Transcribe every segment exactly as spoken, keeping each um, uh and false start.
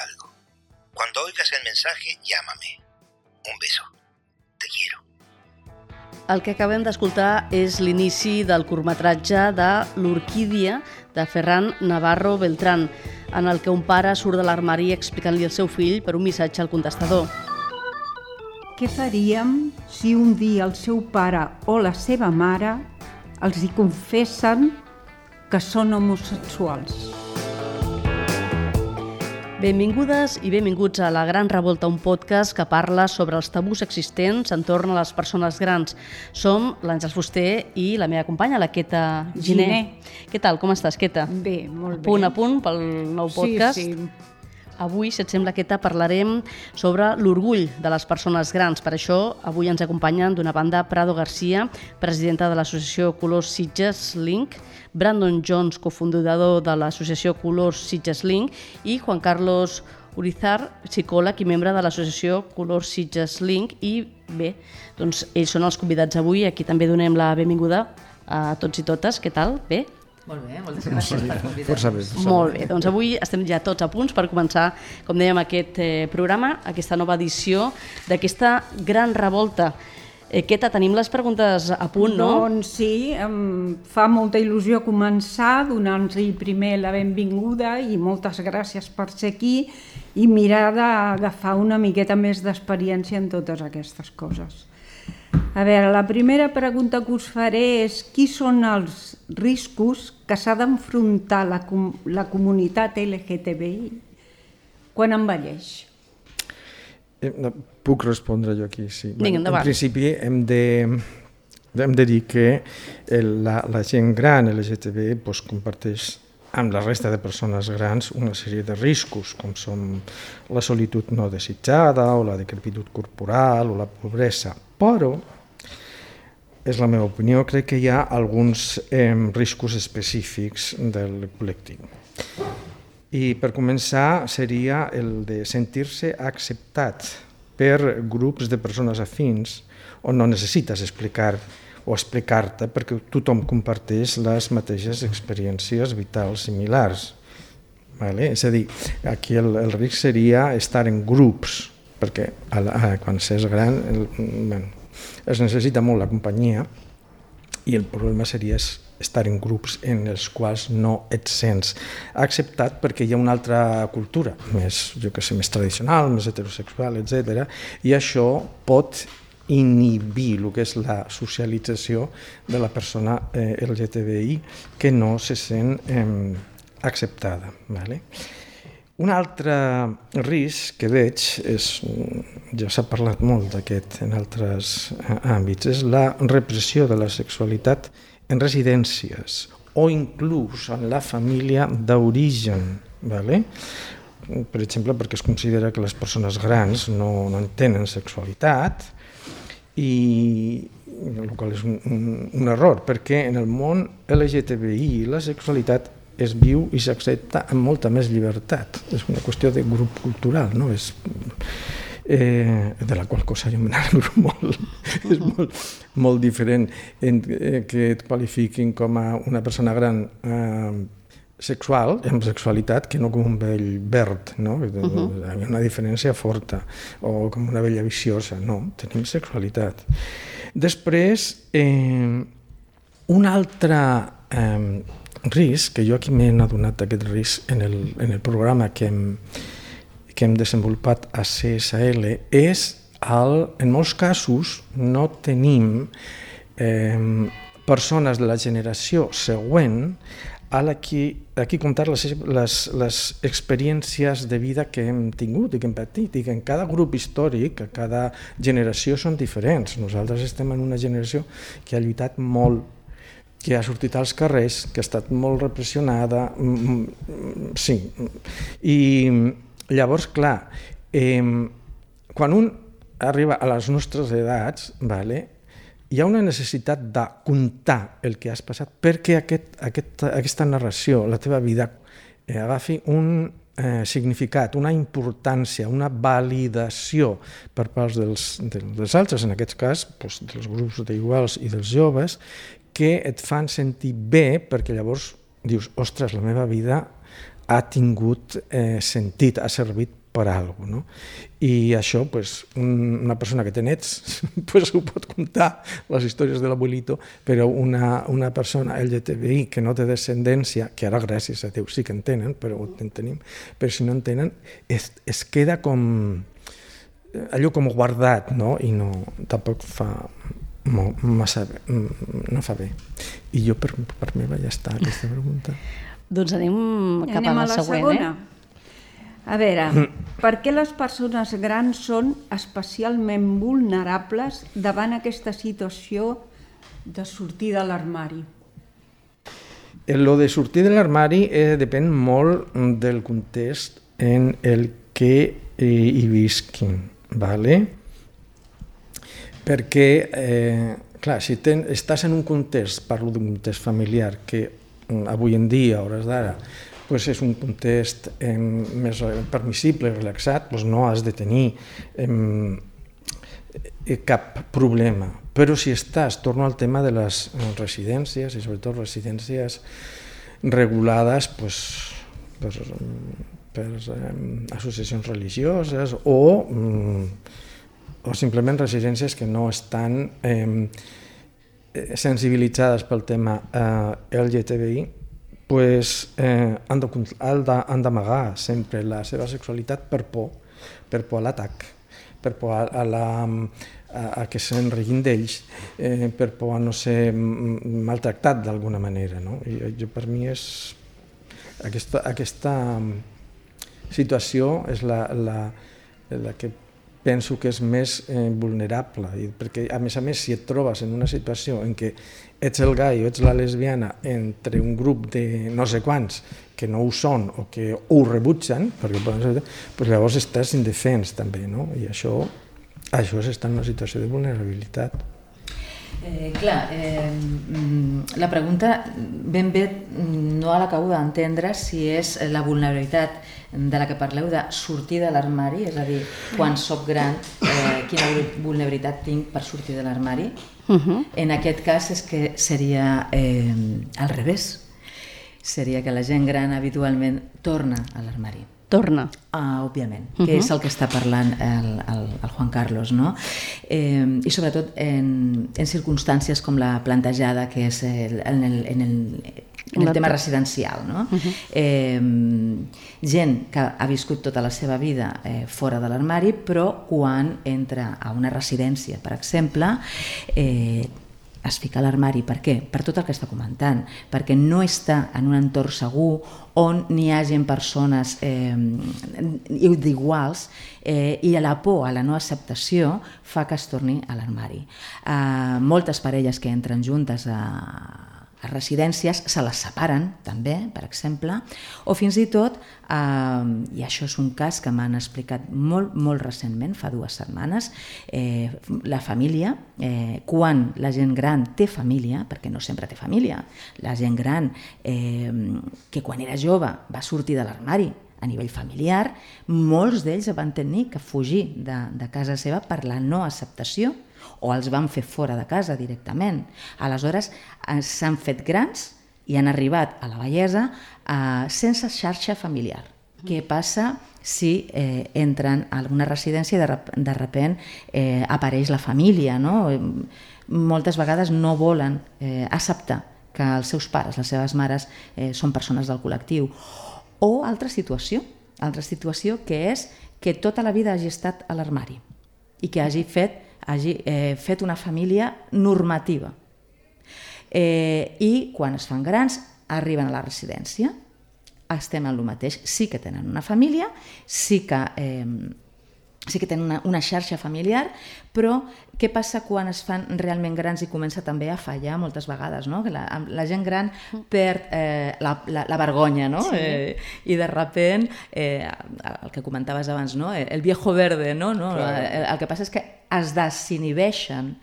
algo. Cuando oigas el mensaje, llámame. Un beso. Te quiero. El que acabem d'escoltar és l'inici del curtmetratge de L'Orquídia, de Ferran Navarro Beltrán, en el que un pare surt de l'armari explicant-li al seu fill per un missatge al contestador. Què faríem si un dia el seu pare o la seva mare els hi confessen que són homosexuals? Benvingudes i benvinguts a La Gran Revolta, un podcast que parla sobre els tabús existents entorn a les persones grans. Som l'Àngels Fuster i la meva companya, la Queta Giner. Giner. Què tal? Com estàs, Queta? Bé, molt bé. Punt a punt pel nou podcast. Sí, sí. Avui, si et sembla, Queta, parlarem sobre l'orgull de les persones grans. Per això, avui ens acompanyen d'una banda Prado García, presidenta de l'associació Colors Sitges Link, Brandon Jones, cofundador de l'associació Colors Sitges Link, i Juan Carlos Urizar, psicòleg i membre de l'associació Colors Sitges Link. I bé, doncs ells són els convidats avui. Aquí també donem la benvinguda a tots i totes. Què tal? Bé? Molt bé, moltes gràcies per convidar-nos. Força bé. Força Molt bé, doncs avui estem ja tots a punts per començar, com dèiem, aquest eh, programa, aquesta nova edició d'aquesta gran revolta. Eh, Queta, tenim les preguntes a punt, no? Doncs sí, em fa molta il·lusió començar donant-los primer la benvinguda i moltes gràcies per ser aquí i mirar d'agafar una miqueta més d'experiència en totes aquestes coses. A veure, la primera pregunta que us faré és qui són els riscos que s'ha d'enfrontar la, com la comunitat L G T B I quan envelleix? Eh, puc respondre jo aquí, sí. Vinga, endavant. En principi hem de, hem de dir que el, la, la gent gran L G T B I pues, comparteix amb la resta de persones grans una sèrie de riscos, com són la solitud no desitjada o la decrepitud corporal o la pobresa. Però, és la meva opinió, crec que hi ha alguns eh, riscos específics del col·lectiu. I per començar seria el de sentir-se acceptat per grups de persones afins on no necessites explicar o explicar-te perquè tothom comparteix les mateixes experiències vitals similars. Vale? És a dir, aquí el, el risc seria estar en grups, perquè a la, a, quan s'és gran el, bueno, es necessita molt la companyia i el problema seria estar en grups en els quals no et sents acceptat perquè hi ha una altra cultura, més, jo que sé, més tradicional, més heterosexual, etcètera, i això pot inhibir el que és la socialització de la persona eh, L G T B I que no se sent eh, acceptada. Vale? Un altre risc que veig, és, ja s'ha parlat molt d'aquest en altres àmbits, és la repressió de la sexualitat en residències o inclús en la família d'origen. Vale? Per exemple, perquè es considera que les persones grans no, no en tenen sexualitat, i el qual és un, un, un error, perquè en el món L G T B I la sexualitat es viu i s'accepta amb molta més llibertat. És una qüestió de grup cultural, no? És, eh, de la qual cosa jo me n'alegro molt. És molt, molt diferent en, eh, que et qualifiquin com a una persona gran eh, sexual, amb sexualitat, que no com un vell verd, no? Uh-huh. Hi ha una diferència forta, o com una vella viciosa, no, tenim sexualitat. Després, eh, un altre eh, risc, que jo aquí m'he adonat d'aquest risc en el, en el programa que hem, que hem desenvolupat a C S L, és, el, en molts casos, no tenim eh, persones de la generació següent a la qui, a qui comptar les, les, les experiències de vida que hem tingut i que hem patit, i que en cada grup històric, a cada generació són diferents. Nosaltres estem en una generació que ha lluitat molt, que ha sortit als carrers, que ha estat molt repressionada, sí. I llavors, clar, eh, quan un arriba a les nostres edats, vale, hi ha una necessitat de contar el que has passat perquè aquest, aquest, aquesta narració, la teva vida, eh, agafi un eh, significat, una importància, una validació per part dels, dels altres, en aquest cas doncs, dels grups d'iguals i dels joves, que et fan sentir bé perquè llavors dius, ostres, la meva vida ha tingut eh, sentit, ha servit per alguna cosa, no? I això, pues, un, una persona que té nets pues, ho pot contar, les històries de l'abuelito, però una, una persona L G T B I que no té descendència, que ara gràcies a Déu sí que en tenen, però en tenim, però si no en tenen, es, es queda com allò com guardat, no? I no, tampoc fa massa bé, no fa bé. I jo per, per mi va ja estar aquesta pregunta. Doncs anem cap anem a la, a la següent, segona. eh? A veure, per què les persones grans són especialment vulnerables davant aquesta situació de sortir de l'armari? Lo de sortir de l'armari eh, depèn molt del context en el que eh, hi visquin, ¿vale? Perquè, eh, clar, si ten, estàs en un context, parlo d'un context familiar, que avui en dia, a hores d'ara, pues és un context eh, més permissible, relaxat, pues no has de tenir eh, cap problema. Però si estàs, torno al tema de les residències, i sobretot residències regulades pues, per, per eh, associacions religioses o, mm, o simplement residències que no estan eh, sensibilitzades pel tema eh, L G T B I, pues, eh, han d'amagar sempre la seva sexualitat per por, per por a l'atac, per por a, a, la, a, a que se'n riguin d'ells, eh, per por a no ser maltractat d'alguna manera. No? I jo, per mi, és aquesta, aquesta situació és la, la, la que penso que és més eh, vulnerable, i perquè a més a més si et trobes en una situació en què ets el gai o ets la lesbiana entre un grup de no sé quants que no ho són o que ho rebutgen, perquè poden ser, doncs llavors estàs indefens també, no? I això, això és estar en una situació de vulnerabilitat. Eh, clar, eh, la pregunta ben bé no l'acabo d'entendre si és la vulnerabilitat de la que parleu de sortir de l'armari, és a dir, quan soc gran, eh, quina vulnerabilitat tinc per sortir de l'armari. Uh-huh. En aquest cas és que seria eh, al revés, seria que la gent gran habitualment torna a l'armari. Torna. Ah, òbviament, uh-huh. que és el que està parlant el, el, el Juan Carlos, no? Eh, I sobretot en, en circumstàncies com la plantejada, que és el, en, el, en, el, en el tema residencial, no? Uh-huh. eh, gent que ha viscut tota la seva vida eh, fora de l'armari, però quan entra a una residència, per exemple, eh, es fica a l'armari. Per què? Per tot el que està comentant, perquè no està en un entorn segur on n'hi hagin persones eh, d'iguals eh, i la por a la no acceptació fa que es torni a l'armari. Eh, moltes parelles que entren juntes a a residències se les separen també, per exemple, o fins i tot, eh, i això és un cas que m'han explicat molt, molt recentment, fa dues setmanes, eh, la família, eh, quan la gent gran té família, perquè no sempre té família, la gent gran eh, que quan era jove va sortir de l'armari a nivell familiar, molts d'ells van tenir que fugir de, de casa seva per la no acceptació, o els van fer fora de casa directament. Aleshores, s'han fet grans i han arribat a la vellesa eh, sense xarxa familiar. Què passa si eh, entren a alguna residència i de, de repent eh, apareix la família, no? Moltes vegades no volen eh, acceptar que els seus pares, les seves mares, eh, són persones del col·lectiu. O altra situació, altra situació que és que tota la vida hagi estat a l'armari i que hagi fet hagi eh, fet una família normativa. Eh, I quan es fan grans, arriben a la residència, estem en el mateix. Sí que tenen una família, sí que, eh, sí que tenen una, una xarxa familiar, però què passa quan es fan realment grans i comença també a fallar moltes vegades, no? Que la, la gent gran perd eh, la, la, la vergonya, no? Sí. Eh, i de repent, eh, el que comentaves abans, no? El viejo verde, no? no? Claro. El, el que passa és que es desinhibeixen.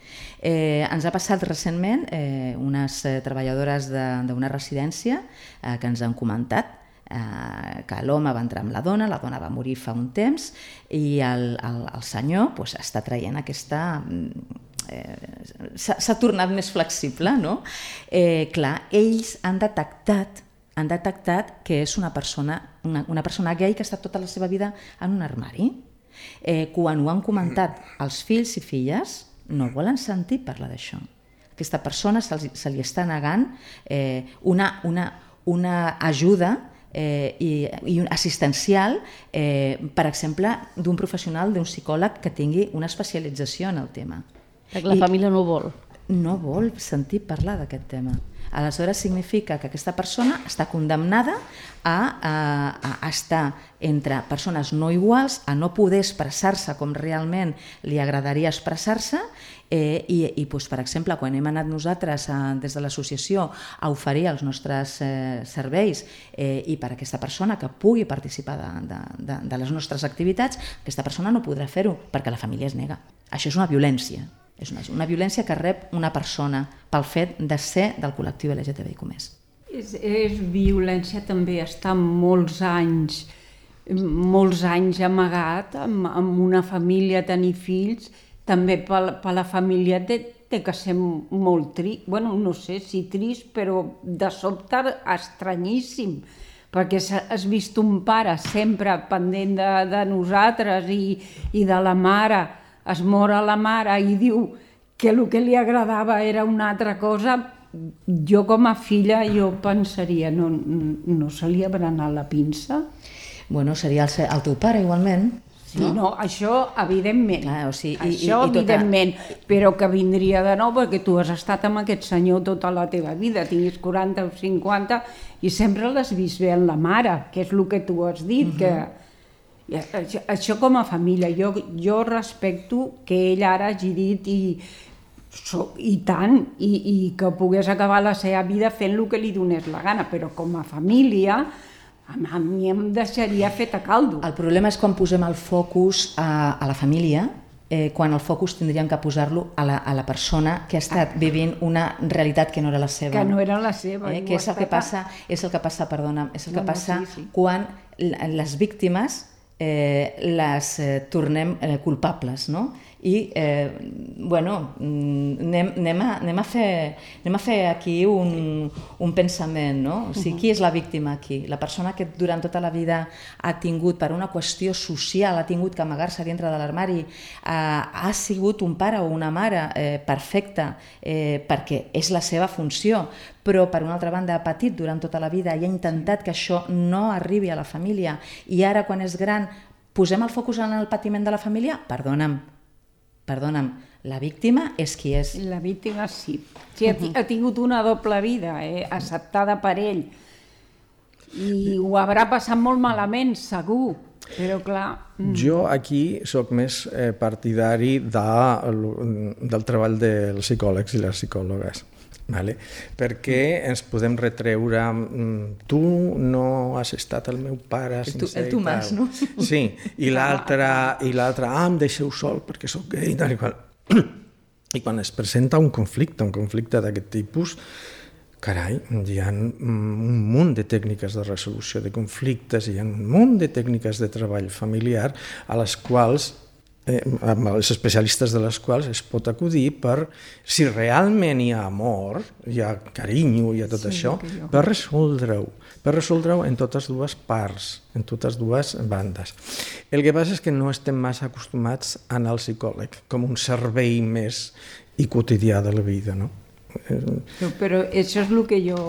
Eh, ens ha passat recentment eh, unes eh, treballadores d'una residència eh, que ens han comentat eh, que l'home va entrar amb la dona, la dona va morir fa un temps i el, el, el senyor pues, està traient aquesta... Eh, s'ha tornat més flexible, no? Eh, clar, ells han detectat han detectat que és una persona, una, una persona gay que ha estat tota la seva vida en un armari. Eh, quan ho han comentat els fills i filles, no volen sentir parlar d'això. Aquesta persona se li, se li està negant eh, una, una, una ajuda eh, i, i assistencial, eh, per exemple, d'un professional, d'un psicòleg que tingui una especialització en el tema. La I família no vol. No vol sentir parlar d'aquest tema. Aleshores significa que aquesta persona està condemnada a, a, a estar entre persones no iguals, a no poder expressar-se com realment li agradaria expressar-se, eh, i, i doncs, per exemple, quan hem anat nosaltres a, des de l'associació a oferir els nostres eh, serveis eh, i per a aquesta persona que pugui participar de, de, de, de les nostres activitats, aquesta persona no podrà fer-ho perquè la família es nega. Això és una violència. És una, una violència que rep una persona pel fet de ser del col·lectiu L G T B I Q més. És, és violència també estar molts anys, molts anys amagat amb, amb una família, tenir fills, també per, per la família té, té que ser molt trist, bueno, no sé si trist, però de sobte estranyíssim, perquè has vist un pare sempre pendent de, de nosaltres i, i de la mare, es mor a la mare i diu que el que li agradava era una altra cosa, jo com a filla jo pensaria, no, no se li haurà anat la pinça? Bueno, seria el, el teu pare igualment. Sí, no, no això evidentment, Clar, o sigui, i, això i, i tota... evidentment, però que vindria de nou perquè tu has estat amb aquest senyor tota la teva vida, tinguis quaranta o cinquanta i sempre l'has vist bé en la mare, que és el que tu has dit, uh-huh. que Això, això com a família, jo, jo respecto que ell ara hagi dit i, so, i tant, i, i que pogués acabar la seva vida fent el que li donés la gana, però com a família a mi em deixaria fet a caldo. El problema és quan posem el focus a, a la família, eh, quan el focus tindríem que posar-lo a, la, a la persona que ha estat vivint una realitat que no era la seva. Que no era la seva. Eh, que és el que passa, és el que passa, perdona, és el que no, passa no, sí, sí. quan les víctimes Eh, les eh, tornem eh, culpables, no? I, eh, bueno, anem, anem, a, anem, a fer, anem a fer aquí un, un pensament, no? O sigui, qui és la víctima aquí? La persona que durant tota la vida ha tingut, per una qüestió social, ha tingut que amagar-se dintre de l'armari, eh, ha sigut un pare o una mare eh, perfecta eh, perquè és la seva funció, però per una altra banda ha patit durant tota la vida i ha intentat que això no arribi a la família i ara quan és gran posem el focus en el patiment de la família? Perdona'm, perdona'm, la víctima és qui és. La víctima sí, sí ha, ha tingut una doble vida, eh, acceptada per ell i ho haurà passat molt malament, segur, però clar... Jo aquí sóc més eh, partidari de, del treball dels psicòlegs i les psicòlogues. Vale? Perquè ens podem retreure tu no has estat el meu pare el tu, el tu mas, no? Sí, i l'altre i l'altre, ah, em deixeu sol perquè sóc gay i tal i qual. I quan es presenta un conflicte, un conflicte d'aquest tipus, carai, hi ha un munt de tècniques de resolució de conflictes, hi ha un munt de tècniques de treball familiar a les quals Eh, amb els especialistes de les quals es pot acudir per, si realment hi ha amor, hi ha carinyo, hi ha tot sí, això, per resoldre-ho, per resoldre-ho en totes dues parts, en totes dues bandes. El que passa és que no estem massa acostumats a anar al psicòleg com un servei més i quotidià de la vida, no? No, però això és el que jo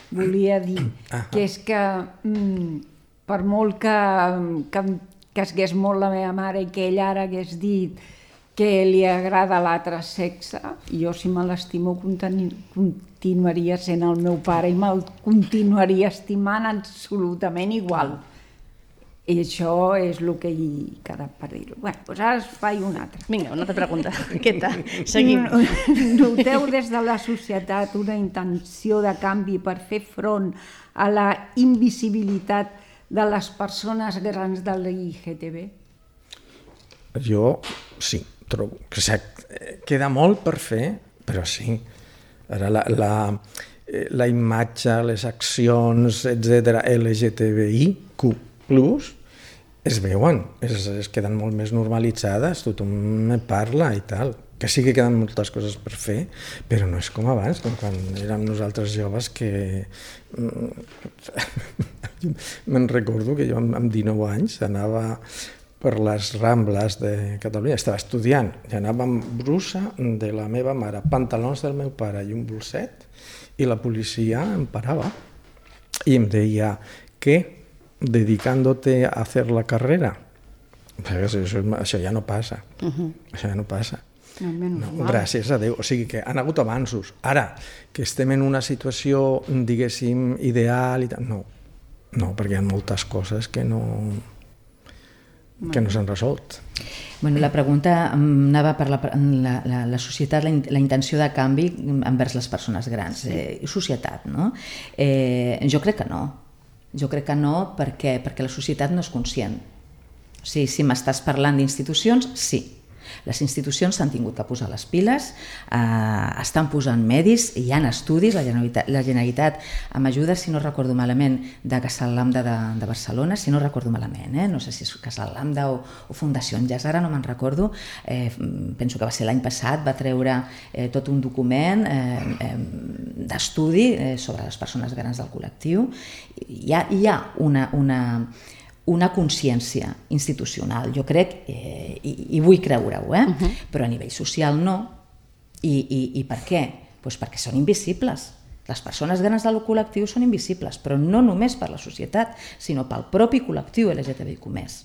volia dir, ah, que és que mm, per molt que, que que esgués molt la meva mare i que ell ara hagués dit que li agrada l'altre sexe, jo si me l'estimo continuaria sent el meu pare i me'l continuaria estimant absolutament igual. I això és el que hi queda per dir-ho. Bé, doncs ara es faig una altra. Vinga, una altra pregunta. Què tal? Seguim. Noteu des de la societat una intenció de canvi per fer front a la invisibilitat de les persones grans de l'L G T B? Jo sí, trobo que queda molt per fer, però sí. Ara la, la, la imatge, les accions, etcètera, L G T B I Q plus, es veuen, es, es queden molt més normalitzades, tothom parla i tal. Que sí que queden moltes coses per fer, però no és com abans, com quan érem nosaltres joves que... Me'n recordo que jo amb dinou anys anava per les Rambles de Catalunya, estava estudiant, i anava amb brusa de la meva mare, pantalons del meu pare i un bolset, i la policia em parava i em deia, què? Dedicándote a hacer la carrera? Això, això ja no passa, uh-huh. Això ja no passa. No, gràcies a Déu, o sigui que han hagut avanços. Ara, que estem en una situació, diguéssim, ideal i tal, no, no, perquè hi ha moltes coses que no, que no s'han resolt. Bueno, la pregunta anava per la, la, la, la societat, la, la intenció de canvi envers les persones grans, eh, societat, no? Eh, jo crec que no, jo crec que no perquè, perquè la societat no és conscient. O sigui, si m'estàs parlant d'institucions, sí. Les institucions s'han tingut que posar les piles, eh, estan posant medis, hi ha estudis, la Generalitat, la Generalitat amb ajuda, si no recordo malament, de Casal Lambda de, de Barcelona, si no recordo malament, eh? No sé si és Casal Lambda o, o Fundació Enllaç, ara no me'n recordo, eh, penso que va ser l'any passat, va treure eh, tot un document eh, eh, d'estudi eh, sobre les persones grans del col·lectiu. Hi ha, hi ha una... una una consciència institucional, jo crec, eh, i, i vull creure-ho, eh? Uh-huh. Però a nivell social no. I, i, i per què? Pues perquè són invisibles. Les persones grans del col·lectiu són invisibles, però no només per la societat, sinó pel propi col·lectiu L G T B I Q més.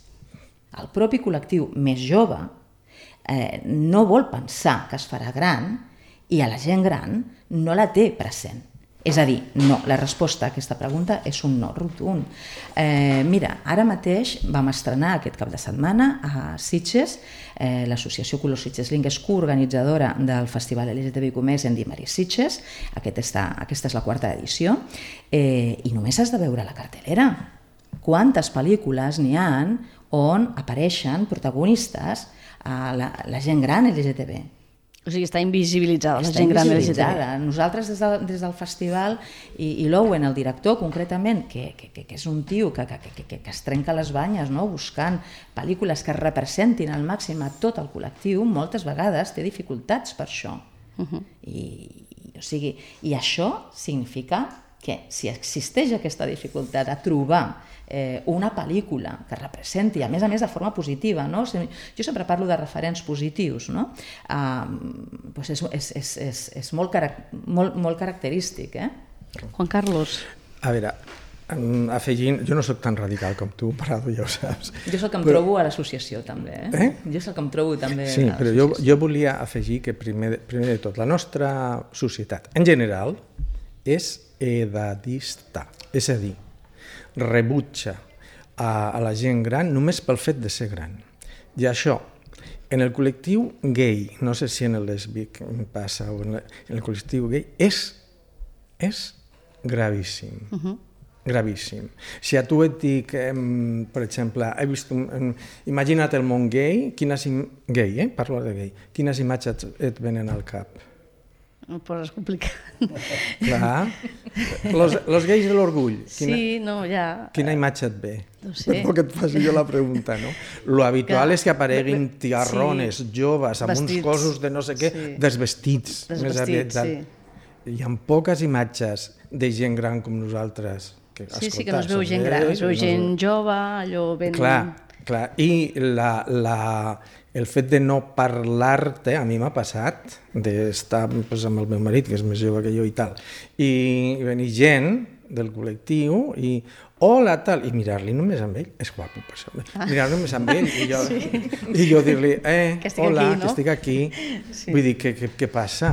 El propi col·lectiu més jove eh, no vol pensar que es farà gran i a la gent gran no la té present. És a dir, no, la resposta a aquesta pregunta és un no rotund. Eh, mira, ara mateix vam estrenar aquest cap de setmana a Sitges, eh, l'associació Colors Sitges Link és coorganitzadora del Festival L G T B I Q més en Dimari Sitges, Aquest està, aquesta és la quarta edició, eh, i només has de veure la cartelera. Quantes pel·lícules n'hi ha on apareixen protagonistes a la, la gent gran L G T B? O sigui, està invisibilitzada la està gent gran invisibilitzada. L G T B. Nosaltres des, de, des del festival, i, i l'Owen, el director concretament, que, que, que és un tio que, que, que, que es trenca les banyes, no? Buscant pel·lícules que representin al màxim a tot el col·lectiu, moltes vegades té dificultats per això. Uh-huh. I, o sigui, I això significa que si existeix aquesta dificultat a trobar eh, una pel·lícula que representi, a més a més de forma positiva, no? Jo sempre parlo de referents positius, no? Uh, doncs és, és, és, és, és molt, carac molt, molt característic. Eh? Juan Carlos. A veure, afegint, jo no soc tan radical com tu, Prado, ja ho saps. Jo és el que em però... trobo a l'associació també. Eh? Eh? Jo és el que em trobo també sí, a l'associació. Sí, però jo, jo volia afegir que primer, primer de tot la nostra societat en general és edadista, és a dir, rebutja a, a la gent gran només pel fet de ser gran. I això, en el col·lectiu gay, no sé si en el lèsbic passa o en, la, en el col·lectiu gay, és, és gravíssim. Uh-huh. Gravíssim. Si a tu et dic, eh, per exemple, he vist un, un, imagina't el món gay, quines gay, eh? Parlo de gay, quines imatges et venen al cap? No poses complicat. Clar. Los, los gais de l'orgull. Quina, sí, no, ja... Quina imatge et ve? No sé. Per que et faci jo la pregunta, no? Lo habitual que... és que apareguin tiarrones, sí, joves, amb vestits, uns cossos de no sé què, sí, desvestits. Desvestits, sí. Hi ha poques imatges de gent gran com nosaltres. Que, sí, sí, que no es veu gent gran, es veu gent no... jove, allò ben... Clar, clar. I la... la el fet de no parlar-te, a mi m'ha passat, d'estar pues, amb el meu marit, que és més jove que jo i tal, i venir gent del col·lectiu i hola, tal, i mirar-li només amb ell, és guapo per això, ah. mirar-li només amb ell, i jo, sí. i jo dir-li, eh, que hola, aquí, no? que estic aquí, sí. Vull dir, què, què, què passa?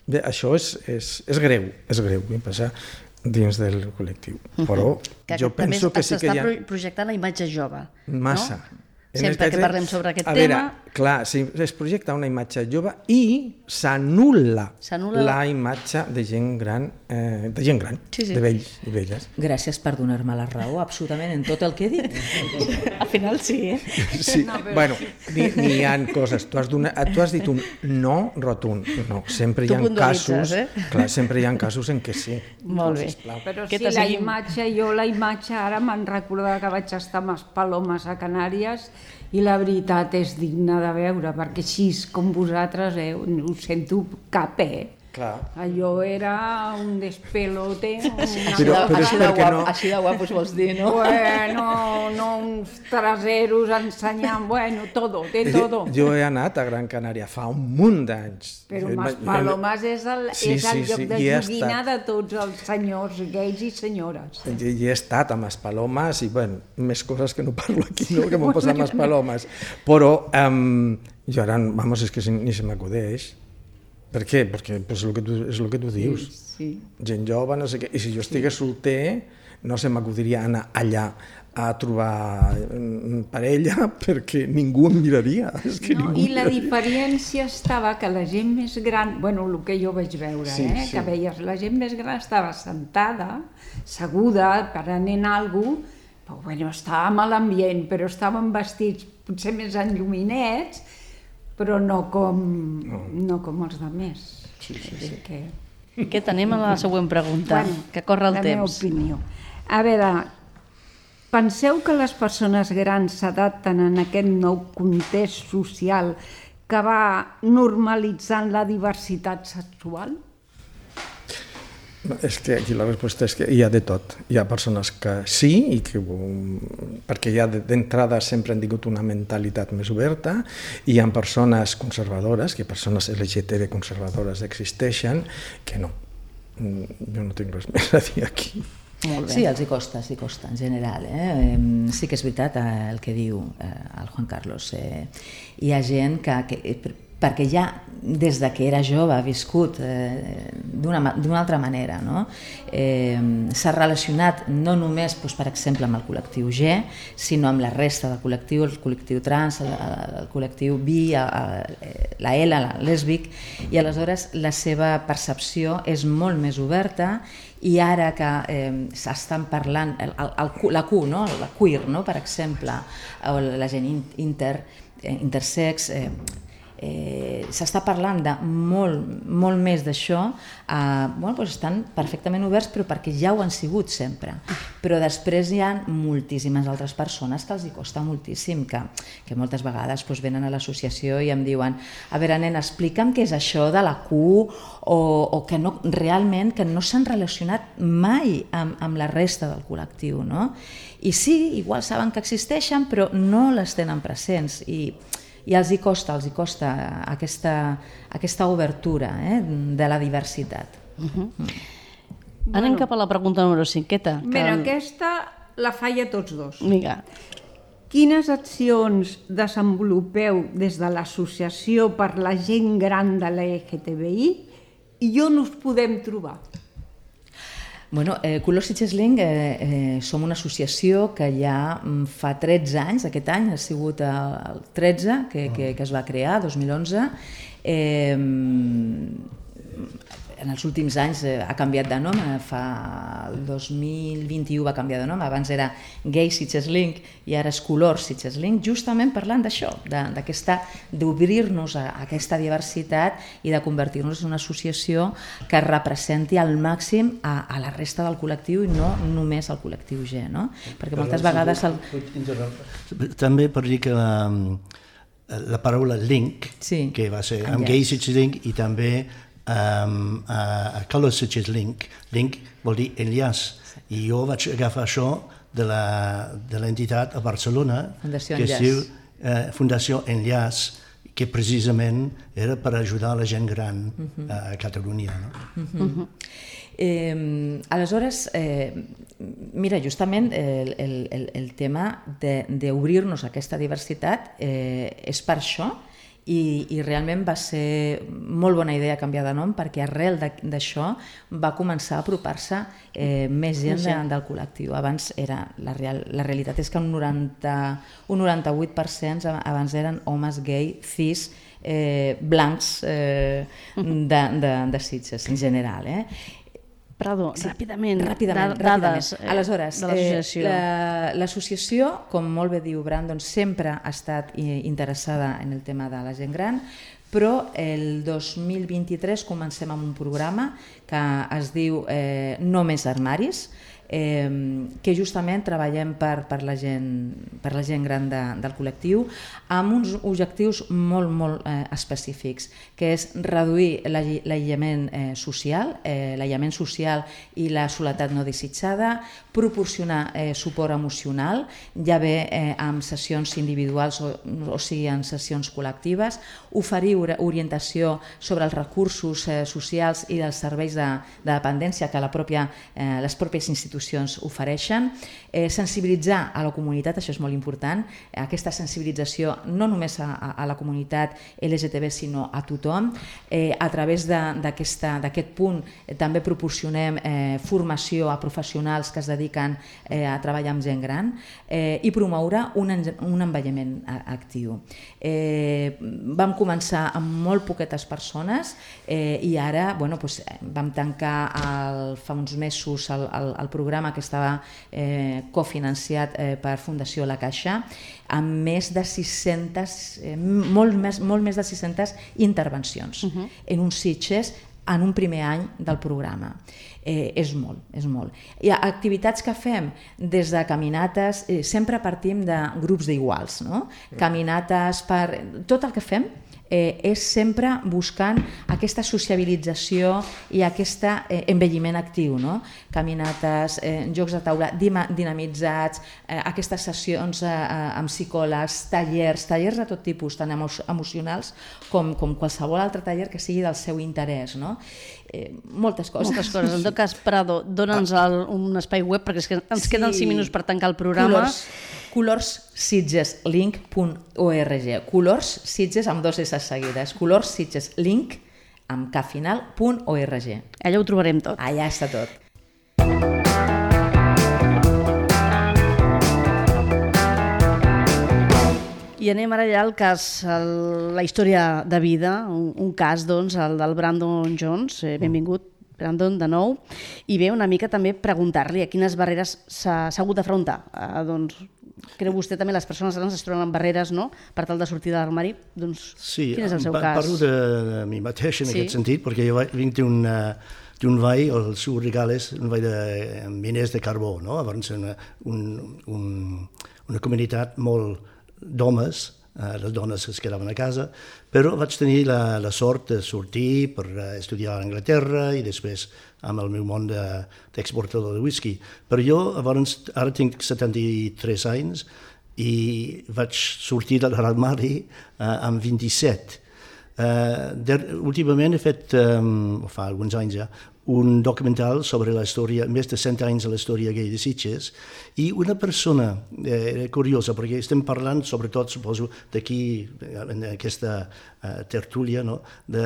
Bé, això és, és, és greu, és greu, em passa dins del col·lectiu, però uh-huh. jo penso que, que sí que hi ha... S'està projectant la imatge jove, massa. No? Sempre que parlem sobre aquest a tema... Veure, clar, si es projecta una imatge jove i s'anul·la la imatge de gent gran, eh, de gent gran, sí, sí. de vells i velles. Gràcies per donar-me la raó, absolutament, en tot el que he dit. Al final sí, eh? Sí, no, bueno, n'hi ni ha coses. Tu has, donat, tu has dit un no rotund. No, sempre hi ha casos... Eh? Clar, sempre hi ha casos en què sí. Molt bé. Però sí, la imatge, jo la imatge ara me'n recordo que vaig estar amb les Palomes a Canàries i la veritat és digna de veure, perquè així com vosaltres eh, ho sento cap, eh? Clar. Allò era un despelote. Una... Però, però així, de guap, no... així de guapos vols dir, no? Bueno, no uns traseros ensenyant, bueno, todo, de todo. Jo he anat a Gran Canària fa un munt d'anys. Però Mas Palomes és el, sí, és el sí, lloc sí, de joguina de tots els senyors gais i senyores. I, i he estat amb les Palomes i, bueno, més coses que no parlo aquí, no?, que m'ho passat amb les Palomes. Però um, jo ara, vamos, és que ni se m'acudeix. Per què? Perquè pues, és, el que tu, és el que tu dius. Sí, sí. Gent jove, no sé què. I si jo estigués sí. solter, no se m'acudiria anar allà a trobar parella perquè ningú em miraria. És que no, ningú I la diferència estava que la gent més gran, bueno, el que jo vaig veure, sí, eh, sí. que veies, la gent més gran estava sentada, seguda, prenent alguna cosa, però bueno, estàvem a l'ambient, però estàvem vestits potser més enlluminets, però no com, no. no com els altres. Sí, sí, sí. Que... Què tenim a la següent pregunta? Bueno, que corre el la temps. La meva opinió. A veure, penseu que les persones grans s'adapten en aquest nou context social que va normalitzant la diversitat sexual? És que aquí la resposta és que hi ha de tot. Hi ha persones que sí, i que, perquè ja d'entrada sempre han tingut una mentalitat més oberta, i hi ha persones conservadores, que persones L G T B conservadores existeixen, que no. Jo no tinc res més a dir aquí. Molt bé. Sí, els hi costa, els hi costa, en general. Eh? Sí que és veritat el que diu el Juan Carlos. Hi ha gent que... que perquè ja des de que era jove ha viscut eh, d'una altra manera, no? Eh, s'ha relacionat no només, doncs, per exemple, amb el col·lectiu G, sinó amb la resta del col·lectiu, el col·lectiu trans, el, el col·lectiu bi, la L, la lèsbic, i aleshores la seva percepció és molt més oberta, i ara que eh, s'estan parlant, el, el, la Q, no? La queer, no? Per exemple, o la gent inter, eh, intersex, eh, Eh, s'està parlant de molt, molt més d'això, eh, bueno, doncs estan perfectament oberts, però perquè ja ho han sigut sempre. Però després hi ha moltíssimes altres persones que els hi costa moltíssim, que, que moltes vegades doncs, venen a l'associació i em diuen: a veure, nen, explica'm què és això de la Q, o, o que no, realment que no s'han relacionat mai amb, amb la resta del col·lectiu, no? I sí, igual saben que existeixen, però no les tenen presents, i i els hi costa, els hi costa aquesta, aquesta obertura eh, de la diversitat. Uh-huh. Mm. Anem cap a la pregunta número cinqueta. Que... Mira, aquesta la faig a tots dos. Vinga. Quines accions desenvolupeu des de l'associació per la gent gran de l'L G T B I i on us podem trobar? Bueno, eh, Colors Sitges Link eh, eh, som una associació que ja fa tretze anys, aquest any ha sigut el tretze que, que, que es va crear, dos mil onze. Eh, en els últims anys eh, ha canviat de nom, fa el dos mil vint-i-u va canviar de nom, abans era Gay Sitges Link i ara és Colors Sitges Link, justament parlant d'això, d'aquesta, d'obrir-nos a aquesta diversitat i de convertir-nos en una associació que representi al màxim a, a la resta del col·lectiu i no només al col·lectiu G, no? Perquè moltes vegades... El... També per dir que la, la paraula link, sí, que va ser amb Gay Sitges Link i també Um, a, a Colors Sitges Link. Link vol dir enllaç. Sí. I jo vaig agafar això de l'entitat a Barcelona, Fundació que es diu uh, Fundació Enllaç, que precisament era per ajudar la gent gran uh-huh. a Catalunya. No? Uh-huh. Uh-huh. Eh, aleshores, eh, mira, justament el, el, el tema d'obrir-nos a aquesta diversitat eh, és per això. I, i realment va ser molt bona idea canviar de nom, perquè arrel d'això va començar a apropar-se eh, més gent de, del col·lectiu. Abans era, la, real, la realitat és que un, noranta, un noranta-vuit per cent abans eren homes gay, cis, eh, blancs eh, de, de, de Sitges en general. Eh? Prado, sí, ràpidament, ràpidament, dades ràpidament. Aleshores, de l'associació. Eh, l'associació, com molt bé diu Brandon, sempre ha estat interessada en el tema de la gent gran, però el dos mil vint-i-tres comencem amb un programa que es diu eh, No més armaris, eh, que justament treballem per, per, la, gent, per la gent gran de, del col·lectiu amb uns objectius molt, molt eh, específics, que és reduir l'aïllament eh, social, eh, l'aïllament social i la soledat no desitjada, proporcionar eh, suport emocional, ja bé eh, amb sessions individuals o, o sigui en sessions col·lectives, oferir orientació sobre els recursos eh, socials i dels serveis de, de dependència que la pròpia, eh, les pròpies institucions ofereixen, eh, sensibilitzar a la comunitat, això és molt important, aquesta sensibilització no només a, a la comunitat L G T B sinó a tothom, eh, a través d'aquest punt eh, també proporcionem eh, formació a professionals que es dediquen eh, a treballar amb gent gran eh, i promoure un, un envelliment actiu. Eh, vam començar amb molt poquetes persones eh, i ara bueno, doncs, vam tancar el, fa uns mesos el, el, el programa que estava eh, cofinanciat eh, per Fundació La Caixa amb més de sis-centes, eh, molt, més, molt més de sis-centes intervencions uh-huh. en uns Sitges en un primer any del programa. Eh, és molt, és molt. Hi ha activitats que fem des de caminates, eh, sempre partim de grups d'iguals, no? Caminates per... Tot el que fem eh, és sempre buscant aquesta sociabilització i aquest eh, envelliment actiu, no? Caminates, eh, jocs de taula dinamitzats, eh, aquestes sessions eh, amb psicòlegs, tallers, tallers de tot tipus, tant emo emocionals com, com qualsevol altre taller que sigui del seu interès, no? Eh, moltes coses. Moltes coses. En tot cas, Prado, dona'ns el, un espai web perquè és que ens sí. queden cinc minuts per tancar el programa. Colors, colors sitges link punt org. Colors Sitges amb dos S seguides. Colors Sitges link amb K final punt org. Allà ho trobarem tot. Allà està tot. I anem ara ja al cas, el, la història de vida, un, un cas, doncs, el del Brandon Jones. Eh, benvingut, Brandon, de nou. I bé, una mica també preguntar-li a quines barreres s'ha hagut d'afrontar. Eh, doncs, creu vostè també les persones grans es troben amb barreres, no?, per tal de sortir de l'armari? Doncs, sí, quin és el seu pa cas? Parlo de, de mi mateix en sí. aquest sentit, perquè jo vinc d'un d'un vall, el seu regal és un vall de miners de carbó, no? Llavors, una, un, un, una comunitat molt d'homes, eh, les dones es quedaven a casa, però vaig tenir la, la sort de sortir per estudiar a Anglaterra i després amb el meu món d'exportador de, de whisky. Però jo, llavors, ara tinc setanta-tres anys i vaig sortir de l'armari eh, amb vint-i-set. Uh, der, últimament he fet, um, fa alguns anys ja, un documental sobre la història, més de cent anys de la història gay de Sitges, i una persona eh, curiosa, perquè estem parlant sobretot, suposo, d'aquí, en aquesta uh, tertúlia, no?, de,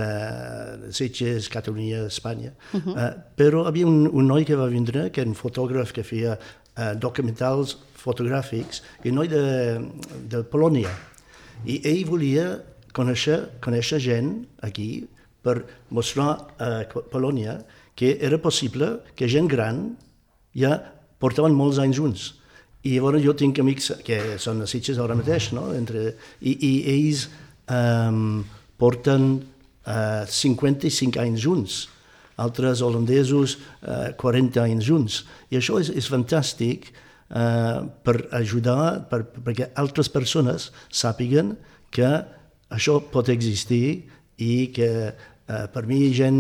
de Sitges, Catalunya, Espanya, uh-huh. uh, però hi havia un, un noi que va vindre, que era un fotògraf que feia uh, documentals fotogràfics, i un noi de, de Polònia, i ell volia Conèixer, conèixer gent aquí per mostrar a Polònia que era possible que gent gran ja portaven molts anys junts. I llavors jo tinc amics que són a Sitges ara mateix, no? Entre, i, i ells um, porten uh, cinquanta-cinc anys junts, altres holandesos uh, quaranta anys junts. I això és, és fantàstic uh, per ajudar, per, perquè altres persones sàpiguen que això pot existir i que eh, per mi gent...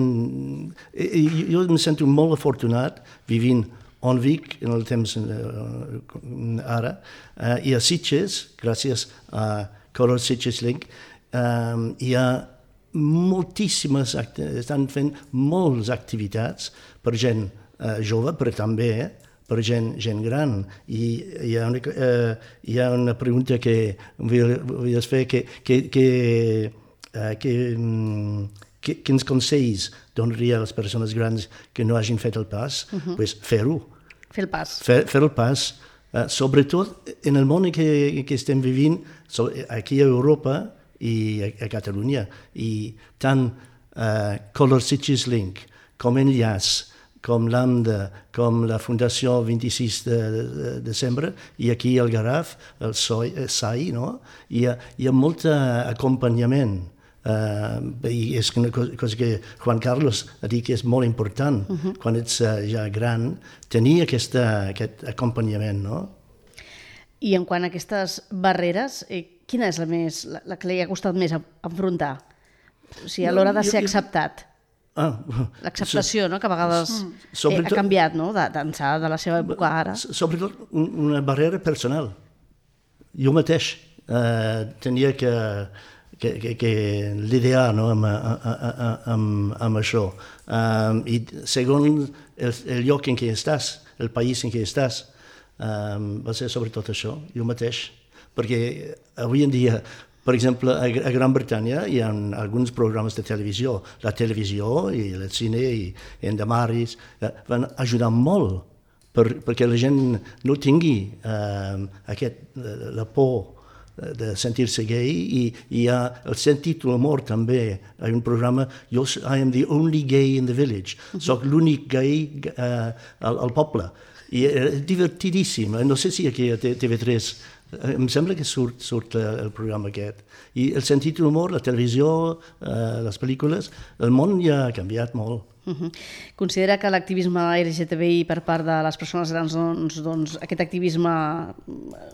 I, jo em sento molt afortunat vivint a Vic en el temps eh, ara eh, i a Sitges, gràcies a Colors Sitges Link, eh, hi ha moltíssimes, estan fent moltes activitats per gent eh, jove, però també eh, per gent, gent gran. I hi ha una, eh, hi ha una pregunta que vull, vull fer, que, que, que uh, que, um, que, quins consells donaria a les persones grans que no hagin fet el pas? Uh-huh. Pues fer-ho. Fer el pas. Fer, fer el pas. Uh, sobretot en el món que, que estem vivint, so, aquí a Europa i a, a Catalunya, i tant uh, Color Sitges Link com Enllaç, com l'AMDA, com la Fundació vint-i-sis de, de, de desembre, i aquí el Garraf, el S A I, no? Hi ha, hi ha molt acompanyament. Uh, i és una cosa que Juan Carlos ha dit que és molt important, uh-huh. quan ets uh, ja gran, tenir aquesta, aquest acompanyament, no? I en quant a aquestes barreres, eh, quina és la, més, la, la que li ha costat més enfrontar? O sigui, a l'hora de ser acceptat. Ah, l'acceptació, no? Que a vegades eh, ha canviat, no? d'ençà de la seva època ara. Sobretot una barrera personal. Jo mateix uh, tenia que que, que, que lidiar, no? amb, amb, amb això. Um, I segons el, el lloc en què estàs, el país en què estàs, um, va ser sobretot això, jo mateix. Perquè avui en dia, per exemple, a, a Gran Bretanya hi ha alguns programes de televisió. La televisió i el cine i Endamaris eh, van ajudar molt per, perquè la gent no tingui eh, aquest, la por de sentir-se gay, i hi ha el sentit l'humor també. Hi ha un programa, jo, I am the only gay in the village, soc l'únic gay uh, al, al poble. I és divertidíssim, no sé si aquí a T V tres, em sembla que surt, surt el programa aquest. I el sentit l'humor, la televisió, uh, les pel·lícules, el món ja ha canviat molt. Uh-huh. Considera que l'activisme L G T B I per part de les persones grans, doncs, doncs aquest activisme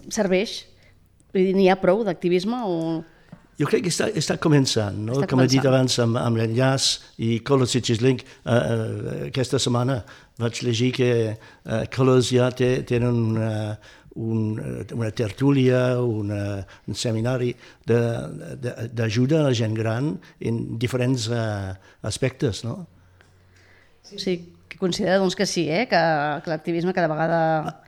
serveix? N'hi ha prou d'activisme o...? Jo crec que està, està començant, no? Està Com començant. He dit abans amb, amb l'Enllaç i Color Sitges Link, uh, uh, aquesta setmana vaig llegir que uh, Colors ja té, tenen una, un, una tertúlia, una, un seminari d'ajuda a la gent gran en diferents uh, aspectes, no? Sí, sí, que considera doncs, que sí, eh? que, que l'activisme cada vegada...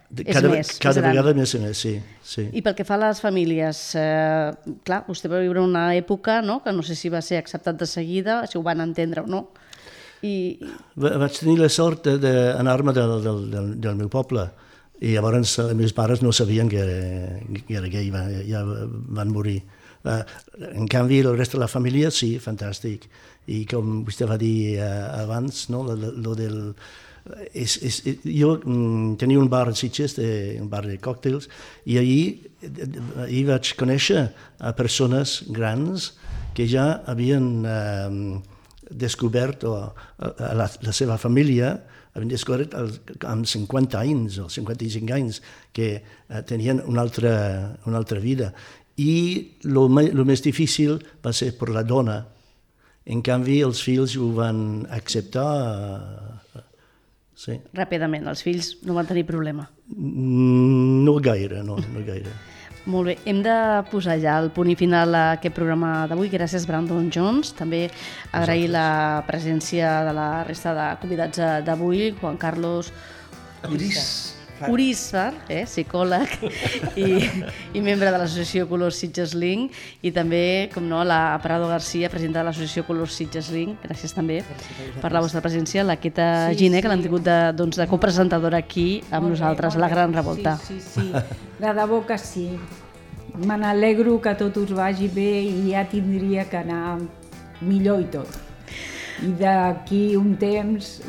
És cada, més, cada més vegada més i més, sí, sí. I pel que fa a les famílies, eh, clar, vostè va viure una època, no?, que no sé si va ser acceptat de seguida, si ho van entendre o no. I... Vaig tenir la sort d'anar-me del, del, del, del meu poble, i llavors els meus pares no sabien que era, que era gay, ja van morir. Uh, en canvi, el rest de la família, sí, fantàstic. I com vostè va dir uh, abans, no?, lo, lo del... És, és, jo mm, tenia un bar a Sitges, de, un bar de còctels, i allí, allí vaig conèixer a persones grans que ja havien eh, descobert, o a la, la seva família, havien descobert el, amb cinquanta anys o cinquanta-cinc anys, que eh, tenien una altra, una altra vida. I el més difícil va ser per la dona. En canvi, els fills ho van acceptar. Eh, Sí. Ràpidament, els fills no van tenir problema? No gaire, no, no gaire. Molt bé, hem de posar ja el punt i final a aquest programa d'avui. Gràcies, Brandon Jones. També agrair la presència de la resta de convidats d'avui, Juan Carlos Urízar, eh, psicòleg i, i membre de l'associació Color Sitges Link, i també, com no, la Prado García, presidenta de l'associació Color Sitges Link. Gràcies també per la vostra presència. La Queta sí, Giner, sí. que l'han tingut de, doncs, de copresentadora aquí amb molt nosaltres, bé, la Gran Revolta. Sí, sí, sí. De debò que sí. Me n'alegro que tot us vagi bé i ja tindria que anar millor i tot. I d'aquí un temps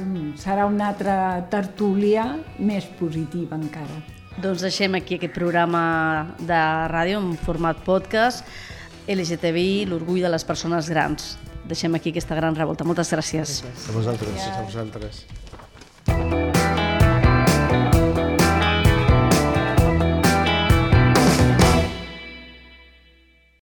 serà una altra tertúlia més positiva encara. Doncs deixem aquí aquest programa de ràdio en format podcast, L G T B I, l'orgull de les persones grans. Deixem aquí aquesta Gran Revolta. Moltes gràcies. A vosaltres. A vosaltres.